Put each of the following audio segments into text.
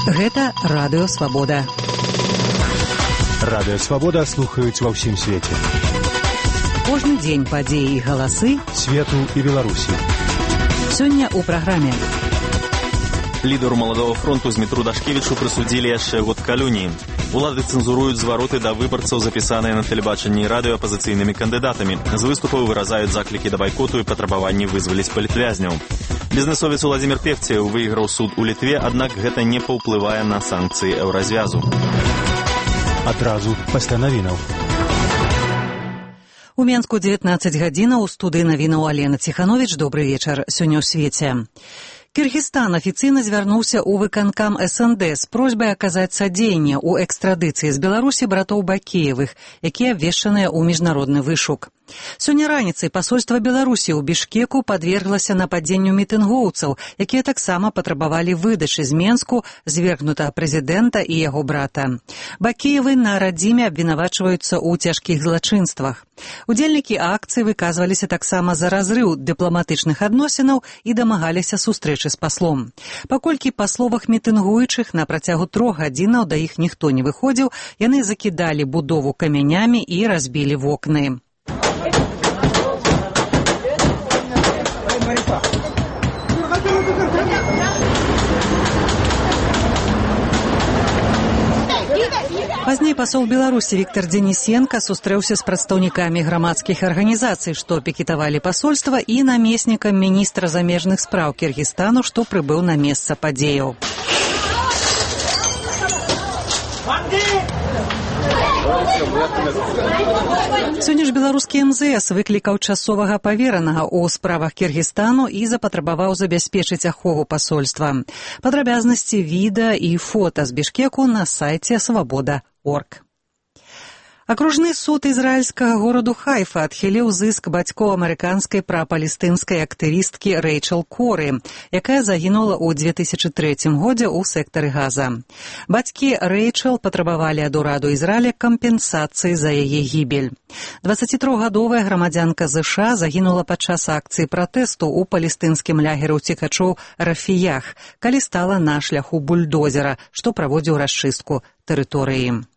Гэта Радыё Свабода. Радыё Свабода слухаюць ва ўсім свеце. Кожны дзень падзеі і галасы свету і Беларусі. Сёння ў праграме. Лідару Маладога фронту Змітру Дашкевічу прысудзілі яшчэ год калоніі. Улады цэнзуруюць звароты да выбарцаў, запісаныя на тэлебачанні і радыё апазіцыйнымі кандыдатамі. З выступаў выразаюць заклікі да байкоту і патрабаванні вызваліць палітвязняў. Бізнесовец Уладзімір Певцеў выйграў суд у Літве, аднак гэта не паўплывае на санкцыі еўразвязу. Адразу пасля навінаў. У Менску 19 гадзінаў, у студыі навінаў Алена Ціхановіч. Добры вечар. Сёння ў свеце. Кыргызстан афіцыйна звярнуўся ў выканкам СНД з просьбай аказаць садзейнне ў экстрадыцыі з Беларусі братоў Бакеевых, якія абвешчаныя ў міжнародны вышук. Сёння раніцай пасольства Беларусі ў Бішкеку падверглася нападзенню мітынгоўцаў, якія таксама патрабавалі выдачы з Менску звергнутага прэзідэнта і яго брата. Бакеевы на радзіме абвінавачваюцца ў цяжкіх злачынствах. Удзельнікі акцыі выказваліся таксама за разрыў дыпламатычных адносінаў і дамагаліся сустрэчы з паслом. Паколькі па словах мітынгуючых на працягу 3 гадзінаў да іх ніхто не выходзіў, яны закідалі будову камянямі і разбілі вокны. Пазней пасол Беларусі Віктор Денісенка сустрэўся з прадстаўнікамі грамадскіх арганізацый, што пікетавалі пасольства, і намеснікам міністра замежных спраў Кыргызстану, што прыбыў на месца падзеяў. Сёння ж беларускі МЗС выклікаў часовага паверанага ў справах Кыргызстану і запатрабаваў забяспечыць ахову пасольства. Падрабязнасці відэа і фота з Бішкеку на сайце свабода.орг. Акружны суд ізраільскага гораду Хайфа адхіліў зыск бацькоў амерыканскай прапалестынскай актывісткі Рэйчэл Коры, якая загінула ў 2003 годзе ў сектары Газа. Бацькі Рэйчэл патрабавалі ад ураду Ізраіля кампенсацыі за яе гібель. 23-гадовая грамадзянка ЗША загінула падчас акцыі пратэсту ў палестынскім лагеры ўцекачоў Рафіях, калі стала на шляху бульдозера, што праводзіў расчыстку тэрыторыі.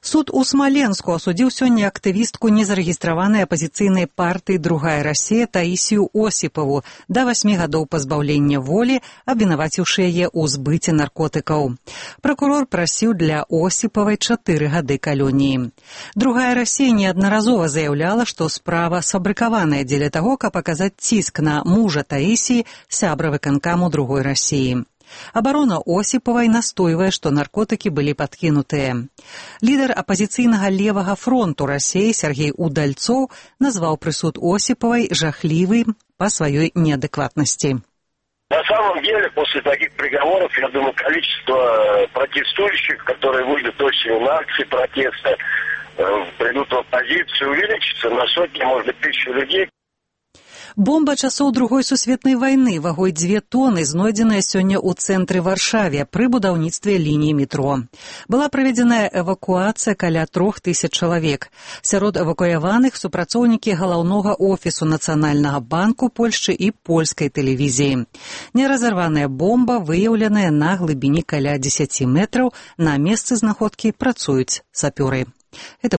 Суд у Смаленску асудзіў сёння актывістку незарэгістраванай апазіцыйнай партыі «Другая Расія» Таісію Осіпаву да 8 гадоў пазбаўлення волі, абвінаваціўшы яе ў збыце наркотыкаў. Пракурор прасіў для Осіпавай 4 гады калоніі. «Другая Расія» неаднаразова заяўляла, што справа сфабрыкаваная дзеля таго, каб аказаць ціск на мужа Таісіі, сябра выканкаму «Другой Расіі». Абарона Осіпавай настойвае, што наркотыкі былі падкінутыя. Лідар апазіцыйнага левага фронту Расіі Сергей Удальцоў назваў прысуд Осіпавай жахлівым па сваёй неадэкватнасти. На самом деле, после таких приговоров, я думаю, количество протестующих, которые выйдут осенью на акции протеста, придут в оппозицию, увеличится на сотни, может быть, тысячи людей. Бомба часоў Другой сусветнай вайны вагой 2 тоны знойдзеная сёння ў цэнтры Варшаве пры будаўніцтве лініі метро. Была праведзеная эвакуацыя каля 3000 чалавек. Сярод эвакуяваных супрацоўнікі галаўнога офісу Нацыянальнага банку Польшчы і польскай тэлевізіі. Неразарваная бомба выяўленая на глыбіні каля 10 метраў. На месцы знаходкі працуюць сапёры. Гэта